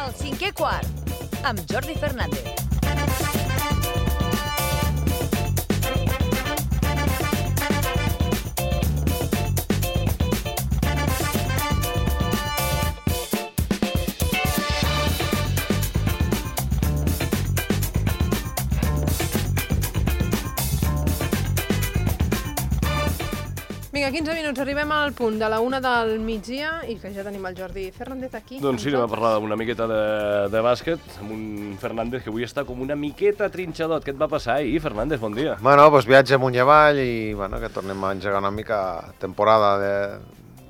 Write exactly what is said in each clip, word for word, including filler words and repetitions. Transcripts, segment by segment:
El cinquè quart, amb Jordi Fernández. Vinga, quinze minuts, arribem al punt de la una del migdia i que ja tenim el Jordi Fernández aquí. Doncs sí, anem a parlar una miqueta de, de bàsquet amb un Fernández que avui està com una miqueta trinxadot. Què et va passar ahir, Fernández? Bon dia. Bueno, doncs viatge amunt i avall i bueno, que tornem a engegar una mica temporada de,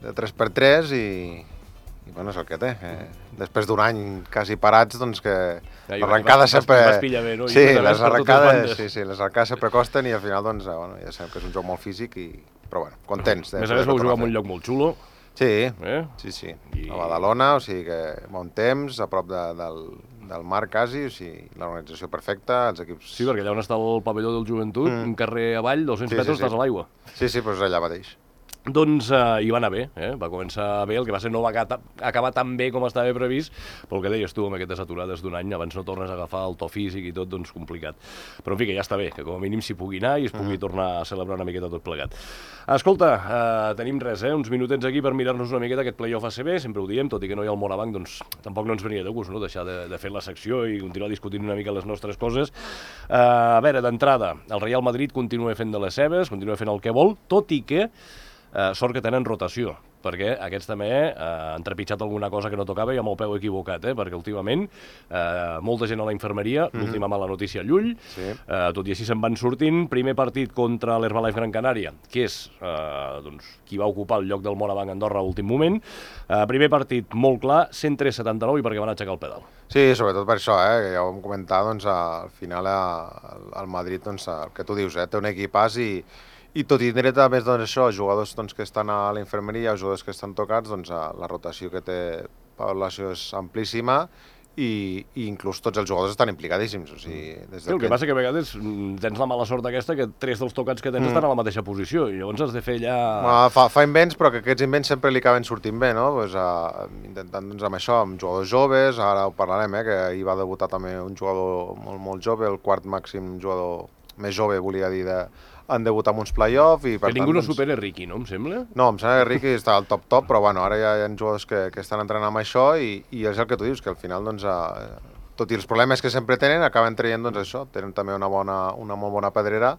de tres per tres i, i bueno, és el que té. Eh? Després d'un any quasi parats, doncs que ja, l'arrencada vas, sempre... Vas pillar bé, no? Sí, les arrencades, sí, sí, les arrencades sempre costen i al final doncs, bueno, ja sabem que és un joc molt físic i... Però bueno, contents. A més a més vau jugar en un lloc molt xulo. Sí, eh? sí, sí. I... A Badalona, o sigui que bon temps, a prop de, del, del mar quasi, o sigui, l'organització perfecta, els equips... Sí, perquè allà on està el pavelló del joventut, mm. un carrer avall, dos-cents sí, metres, sí, sí. estàs a l'aigua. Sí, sí, però és allà mateix. Doncs uh, hi va anar bé, eh? Va començar bé, el que va ser no va acabar tan bé com estava previst, però el que deies tu, amb aquestes aturades d'un any, abans no tornes a agafar el to físic i tot, doncs complicat. Però en fi, que ja està bé, que com a mínim s'hi pugui anar i es pugui mm. tornar a celebrar una miqueta tot plegat. Escolta, uh, tenim res, eh? Uns minutets aquí per mirar-nos una miqueta aquest playoff A C B, sempre ho diem, tot i que no hi ha el Morabanc, doncs tampoc no ens venia de gust, no?, deixar de, de fer la secció i continuar discutint una mica les nostres coses. Uh, a veure, d'entrada, el Real Madrid continua fent de les seves, continua fent el que vol, tot i que Uh, sort que tenen rotació, perquè aquests també uh, han trepitjat alguna cosa que no tocava i amb el peu equivocat, eh? Perquè últimament uh, molta gent a la infermeria, mm-hmm. l'última mala notícia a Llull, sí. uh, tot i així se'n van sortint. Primer partit contra l'Herbalife Gran Canària, que és uh, doncs, qui va ocupar el lloc del Morabanc Andorra a l'últim moment. Uh, primer partit molt clar, cent tres a setanta-nou i perquè van aixecar el pedal. Sí, sobretot per això, eh, que ja ho vam comentar, doncs, al final el Madrid, doncs, el que tu dius, eh, té un equipàs i I tot i tindre també doncs, això, jugadors doncs, que estan a la infermeria, jugadors que estan tocats, doncs, la rotació que té població és amplíssima i, i inclús tots els jugadors estan implicadíssims. O sigui, des sí, el que, que passa que a vegades tens la mala sort aquesta que tres dels tocats que tens mm. estan a la mateixa posició i llavors has de fer allà... Bueno, fa, fa invents, però que aquests invents sempre li acaben sortint bé, no? Pues, uh, intentant doncs, amb això, amb jugadors joves, ara ho parlarem, eh, que ahir va debutar també un jugador molt, molt jove, el quart màxim jugador més jove, volia dir, de... han debutat amb uns play-off i per que tant... ningú no doncs... supera Riqui, no? Em sembla? No, em sembla que Riqui està al top-top, però bueno, ara ja hi ha jugadors que, que estan entrenant amb això i, i és el que tu dius, que al final, doncs, eh, tot i els problemes que sempre tenen, acaben traient, doncs, això, tenen també una, bona, una molt bona pedrera,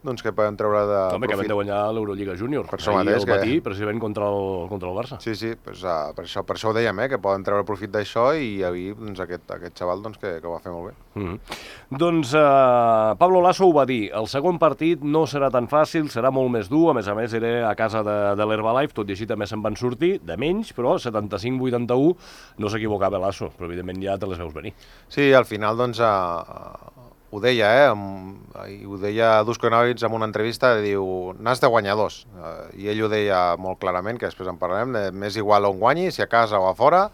doncs que poden treure de Home, profit. Que van de guanyar l'Eurolliga Júnior. Per això mateix. El matí, que... precisament contra el, contra el Barça. Sí, sí, pues, uh, per, això, per això ho dèiem, eh, que poden treure profit d'això i avui doncs, aquest, aquest xaval doncs, que, que ho va fer molt bé. Mm-hmm. Doncs uh, Pablo Lasso ho va dir, el segon partit no serà tan fàcil, serà molt més dur, a més a més era a casa de, de l'Herbalife, tot i així també se'n van sortir, de menys, però setanta-cinc vuitanta-u no s'equivocava Lasso, però evidentment ja te les veus venir. Sí, al final doncs... Uh, ho deia, eh? Amb, ho deia Dusko Ivanovic en una entrevista, diu, n'has de guanyar dos. Uh, I ell ho deia molt clarament, que després en parlarem, de, m'és igual on guanyi, si a casa o a fora,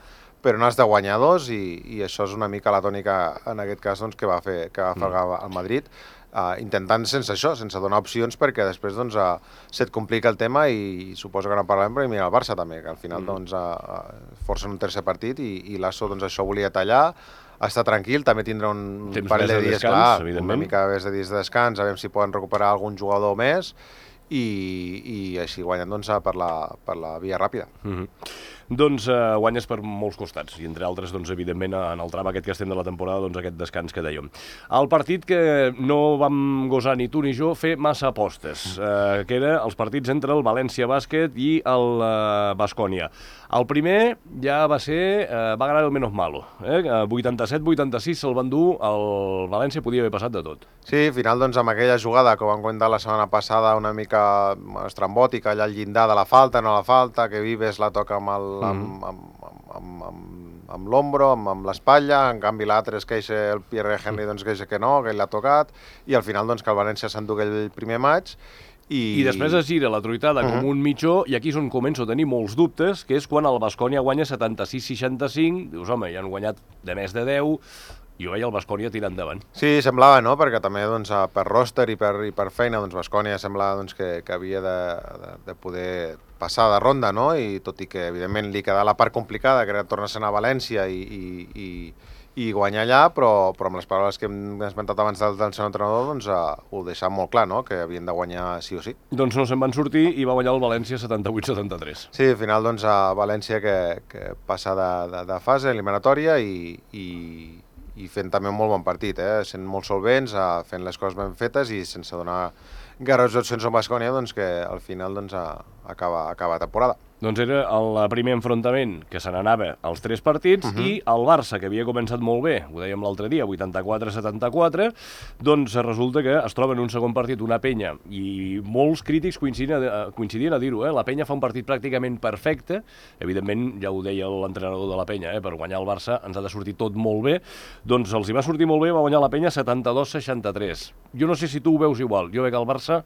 però n'has de guanyar dos i, i això és una mica la tònica, en aquest cas, doncs, que va fer, que va fer mm. el Madrid, uh, intentant sense això, sense donar opcions, perquè després doncs, uh, se't complica el tema i, i suposo que no parlarem, però mira el Barça també, que al final mm. doncs, uh, forcen un tercer partit i, i Lasso doncs, això volia tallar, està tranquil, també tindrà un Temps parell de de dies, descans, clar, una mica més de dies de descans, a veure si poden recuperar algun jugador més i, i així guanyen doncs, per, la, per la via ràpida. Mm-hmm. Doncs uh, guanyes per molts costats, i entre altres, doncs, evidentment, en el tram aquest que estem de la temporada, doncs, aquest descans que dèiem. El partit que no vam gosar ni tu ni jo fer massa apostes, uh, que era els partits entre el València Bàsquet i el uh, Baskonia. El primer ja va ser, uh, va ganar el menos malo, eh? vuitanta-set vuitanta-sis se'l van dur, el València podia haver passat de tot. Sí, al final, doncs, amb aquella jugada que vam comentar la setmana passada, una mica estrambòtica, allà al llindar de la falta, no la falta, que Vives la toca amb el amb, amb, amb, amb, amb l'ombro, amb, amb l'espatlla, en canvi l'altre es queixa, el Pierre Henry doncs queixa que no, que ell l'ha tocat, i al final doncs que el València s'enduga el primer maig, i... I després es gira la truitada uh-huh. com un mitjó, i aquí és on començo a tenir molts dubtes, que és quan el Baskonia guanya setanta-sis seixanta-cinc, dius, home, ja han guanyat de més de deu, jo veia el Baskonia tirant endavant. Sí, semblava, no?, perquè també doncs, per ròster i per, i per feina, doncs, Baskonia semblava doncs, que, que havia de, de, de poder passar de ronda, no?, i tot i que, evidentment, li quedava la part complicada, que era tornar-se'n a València i, i, i, i guanyar allà, però, però amb les paraules que hem esmentat abans del, del seu entrenador, doncs, uh, ho deixava molt clar, no?, que havien de guanyar sí o sí. Doncs no se'n van sortir i va guanyar el València setanta-vuit setanta-tres. Sí, al final, doncs, a València que, que passa de, de, de fase eliminatòria i, i, i fent també un molt bon partit, eh? Sent molt solvents, uh, fent les coses ben fetes i sense donar gaires opcions a Baskonia, doncs, que al final doncs, uh, acaba, acaba la temporada. Doncs era el primer enfrontament que se n'anava als tres partits uh -huh. i el Barça, que havia començat molt bé, ho dèiem l'altre dia, vuitanta-quatre setanta-quatre, doncs resulta que es troba en un segon partit una Penya, i molts crítics coincidien a, coincidien a dir-ho, eh? La Penya fa un partit pràcticament perfecte, evidentment, ja ho deia l'entrenador de la Penya, eh? Per guanyar el Barça ens ha de sortir tot molt bé, doncs els hi va sortir molt bé, va guanyar la Penya setanta-dos seixanta-tres. Jo no sé si tu ho veus igual, jo veig el Barça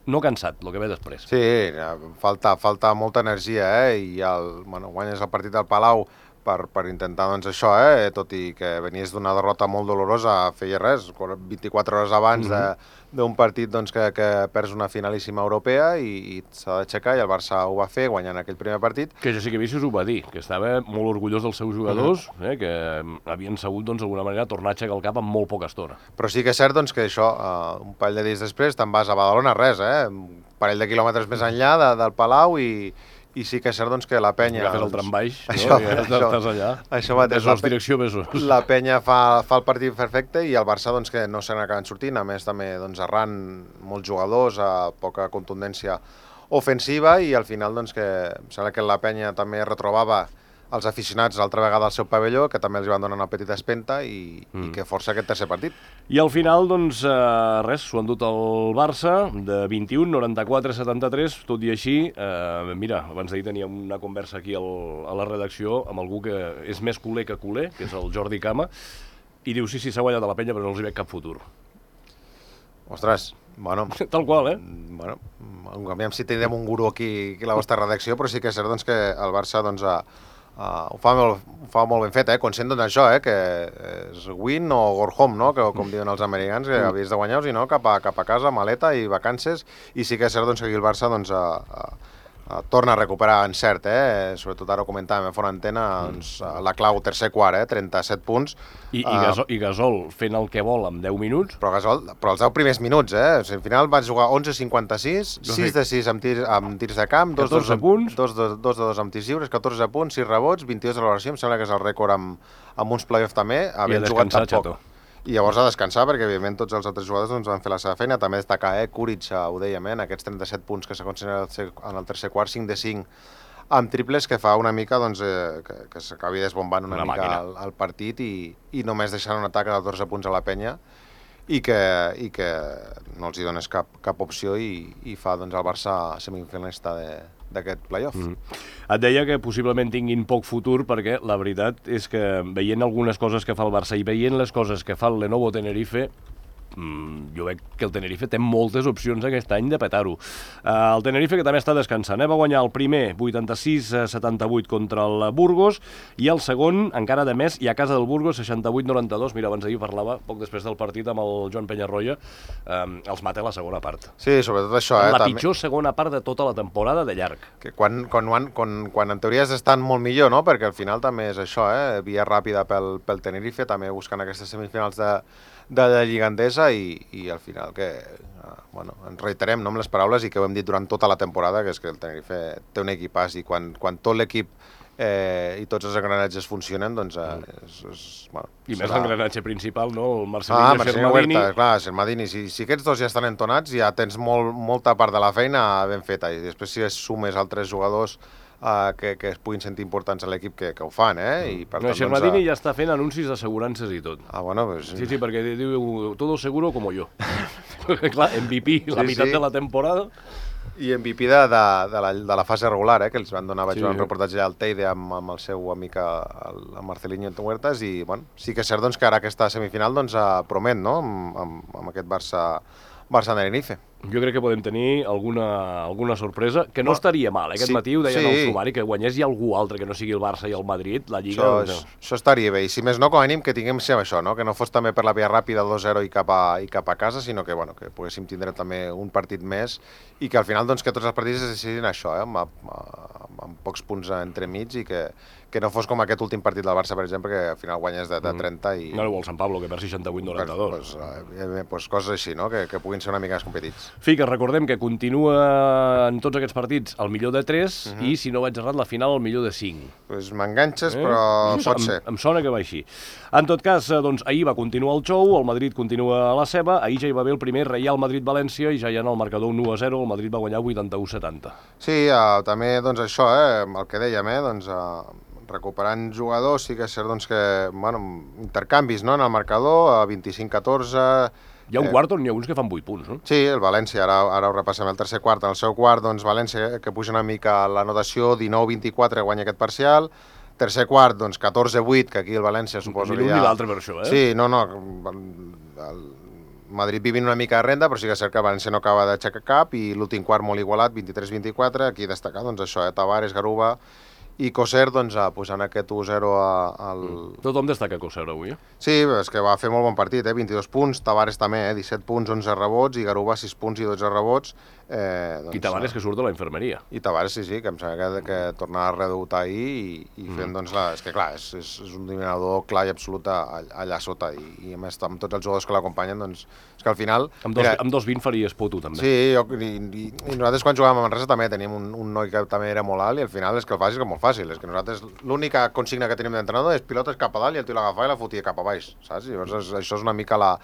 no cansat, el que ve després. Sí, falta, falta molta energia, eh? I el, bueno, guanyes el partit del Palau per, per intentar, doncs, això, eh? Tot i que venies d'una derrota molt dolorosa, feia res, vint-i-quatre hores abans mm-hmm. d'un partit doncs, que, que perds una finalíssima europea i, i s'ha d'aixecar, i el Barça ho va fer guanyant aquell primer partit. Que Jessica Vicis ho va dir, que estava molt orgullós dels seus jugadors, mm-hmm. eh? Que havien sabut, doncs, d'alguna manera, tornar a aixecar el cap en molt poca estona. Però sí que és cert, doncs, que això, uh, un parell de dies després, te'n vas a Badalona, res, eh? Un parell de quilòmetres més enllà de, del Palau i... I sí que és cert doncs, que la Penya... Agafes el tram baix, no? Això, I això, estàs allà. Això mateix. Besos, direcció, besos. La Penya fa, fa el partit perfecte i el Barça doncs, que no se n'acaben sortint, a més també doncs, errant molts jugadors, a poca contundència ofensiva, i al final doncs, que em sembla que la Penya també retrobava els aficionats l'altra vegada al seu pavelló, que també els van donar una petita espenta i, mm. i que força aquest tercer partit. I al final, doncs, eh, res, s'ho han dut el Barça, de vint-i-u, noranta-quatre setanta-tres, tot i així, eh, mira, abans d'ahir teníem una conversa aquí al, a la redacció amb algú que és més culer que culer, que és el Jordi Cama, i diu, sí, sí, s'ha guanyat a la Penya, però no els hi veig cap futur. Ostres, bueno... Tal qual, eh? Bueno, aviam si tindrem un guru aquí, aquí a la vostra redacció, però sí que és cert doncs, que el Barça doncs, a, Uh, ho, fa molt, ho fa molt ben fet, eh? Conscient d'això, eh? Que és win o go home, no? Que, com diuen els americans, que havies de guanyar-los i no, cap a, cap a casa, maleta i vacances, i sí que és cert doncs, que aquí el Barça doncs, a, a, a, torna a recuperar encert, eh? Sobretot ara ho comentàvem a fora antena, doncs, la clau tercer quart, eh? trenta-set punts. I, i, Gasol, I Gasol fent el que vol en deu minuts. Però Gasol, però els deu primers minuts, eh? O sigui, al final van jugar onze cinquanta-sis, sis de sis amb, tir, amb tirs de camp, dos de punts, dos de dos amb tirs lliures, catorze punts, sis rebots, vint-i-dos de valoració, em sembla que és el rècord amb, amb uns play-off també, havien jugat tan poc. I llavors a descansar, perquè evidentment tots els altres jugadors doncs, van fer la seva feina. També destacar, eh, Kuric, ho dèiem, eh, en aquests trenta-set punts que s'aconsegueixen en el tercer quart, cinc de cinc amb triples, que fa una mica doncs, eh, que, que s'acabi desbombant una, una mica el, el partit i, i només deixant un atac de catorze punts a la Penya i que, i que no els hi dones cap, cap opció i, i fa doncs, el Barça semifinalista d'aquest play-off. Mm. Et deia que possiblement tinguin poc futur perquè la veritat és que veient algunes coses que fa el Barça i veient les coses que fa el Lenovo Tenerife, Mm, jo veig que el Tenerife té moltes opcions aquest any de petar-ho. Uh, el Tenerife, que també està descansant, eh? Va guanyar el primer vuitanta-sis setanta-vuit contra el Burgos i el segon, encara de més, i a casa del Burgos, seixanta-vuit noranta-dos. Mira, abans d'ahir parlava, poc després del partit, amb el Joan Penyarroia, um, els mata la segona part. Sí, sobretot això. Eh, la també... pitjor segona part de tota la temporada de llarg. Que quan, quan, quan, quan en teoria estan molt millor, no? Perquè al final també és això, eh? Via ràpida pel, pel Tenerife, també buscant aquestes semifinals de de la Lliga Endesa i, i al final que uh, bueno, ens reiterem no, amb les paraules i que ho hem dit durant tota la temporada, que és que el Tenerife té un equipàs i quan, quan tot l'equip eh, i tots els engranatges funcionen, doncs eh, és, és, bueno, I serà... més l'engranatge principal, no? El Marcelino ah, i Marcelino Xermadini. Huerta, clar, Xermadini, si, si aquests dos ja estan entonats ja tens molt, molta part de la feina ben feta i després si sumes altres jugadors Uh, que, que es puguin sentir importants a l'equip que, que ho fan, eh? I per no, tant, Xermadini doncs, ja està fent anuncis d'assegurances i tot. Ah, bueno, pues... Sí, sí, perquè diu, todo seguro como yo. Clar, M V P, sí, la meitat sí. de la temporada. I M V P de, de, de, la, de la fase regular, eh? Que els van donar, vaig sí, veure un reportatge al Teide amb, amb el seu amic, el, el Marcelino Huertas, i bueno, sí que és cert doncs, que ara aquesta semifinal doncs, promet, no?, amb, amb, amb aquest Barça, Barça Tenerife. Jo crec que podem tenir alguna, alguna sorpresa, que no Bueno, estaria mal, eh? Aquest sí, matí ho deien sí. al sumari, que guanyés hi algú altre que no sigui el Barça i el Madrid, la Lliga... Això, doncs, és, això estaria bé, i si més no, com a mínim que tinguem sempre això, no? Que no fos també per la via ràpida dos zero i cap a, i cap a casa, sinó que, bueno, que poguéssim tindre també un partit més i que al final doncs, que tots els partits es decidin això, eh? amb, amb, amb pocs punts entremig i que, que no fos com aquest últim partit del Barça, per exemple, que al final guanyés de, de trenta i... No, o el Sant Pablo, que per seixanta-vuit noranta-dos. Pues, eh, pues coses així, no? Que, que puguin ser una mica més competits. Fica, recordem que continua en tots aquests partits el millor de tres uh -huh. i, si no vaig errat, la final el millor de cinc. Pues m'enganxes, Eh? però Em- pot ser. Em sona que va així. En tot cas, eh, doncs, ahir va continuar el show, el Madrid continua a la seva, ahir ja hi va haver el primer Real Madrid-València i ja hi ha en el marcador un u a zero, el Madrid va guanyar vuitanta-u a setanta. Sí, uh, també doncs, això, eh, el que dèiem, eh, doncs, uh, recuperant jugadors, sí que és cert doncs, que bueno, intercanvis no, en el marcador, a vint-i-cinc a catorze... Hi ha un quart on hi ha uns que fan vuit punts, no? Sí, el València, ara, ara ho repassem, el tercer quart. En el seu quart, doncs, València, que puja una mica la notació, dinou vint-i-quatre, guanya aquest parcial. Tercer quart, doncs, catorze a vuit, que aquí el València suposo Ni que l'un ja... ni l'altre per això, eh? Sí, no, no, el Madrid vivint una mica de renda, però sí que és cert que el València no acaba d'aixecar cap, i l'últim quart molt igualat, vint-i-tres vint-i-quatre, aquí destacar, doncs, això, eh, Tavares, Garuba i Coser, doncs, posant aquest u zero al... Mm. Tothom destaca Coser avui, eh? Sí, és que va fer molt bon partit, eh? vint-i-dos punts, Tavares també, eh? disset punts, onze rebots, i Garuba sis punts i dotze rebots. Eh, doncs, I Tavares que surt de la infermeria. I Tavares, sí, sí, que em sembla que, que tornava a redebutar ahir i, i fent, mm. doncs, la, és que clar, és, és, és un dominador clar i absolut allà sota, i, i a més amb tots els jugadors que l'acompanyen, doncs, és que al final... Amb dos, mira, amb dos vint faries puto, també. Sí, jo, i, i, i nosaltres quan jugàvem a Manresa també teníem un, un noi que també era molt alt, i al final és que el facis que és molt fàcil, és que nosaltres l'única consigna que tenim d'entrenador és pilotes cap a dalt i el tio l'agafava i la fotia cap a baix, saps? I llavors això és una mica la...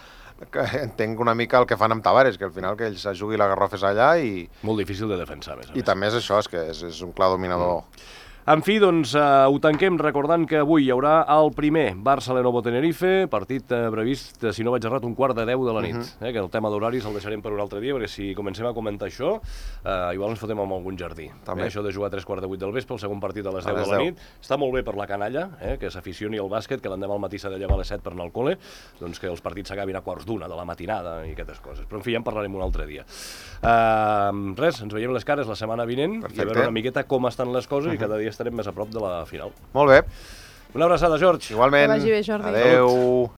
que entenc una mica el que fan amb Tavares, que al final que ell se jugui la garrofes allà i... Molt difícil de defensar, a més a més. I també és això, és que és, és un clar dominador. Mm. En fi, doncs, eh, ho tanquem recordant que avui hi haurà el primer Barça-Lenovo-Tenerife, partit eh, previst, si no vaig errat, un quart de deu de la nit, uh -huh. eh, que el tema d'horaris el deixarem per un altre dia, perquè si comencem a comentar això, eh, igual ens fotem amb algun jardí. També. Eh, això de jugar a tres quarts de vuit del vespre, el segon partit a les deu A les de la deu. nit, està molt bé per la canalla, eh, que s'aficioni al bàsquet, que l'endemà al matí s'ha de llevar a les set per anar al col·le, doncs que els partits s'acabin a quarts d'una de la matinada i aquestes coses. Però, en fi, ja en parlarem un altre dia. Uh, res, ens veiem les cares la setmana vinent. Perfecte. I a veure una miqueta com estan les coses, uh -huh. i cada dia estarem més a prop de la final. Molt bé. Una abraçada, George. Igualment. Que vagi bé, Jordi. Adéu.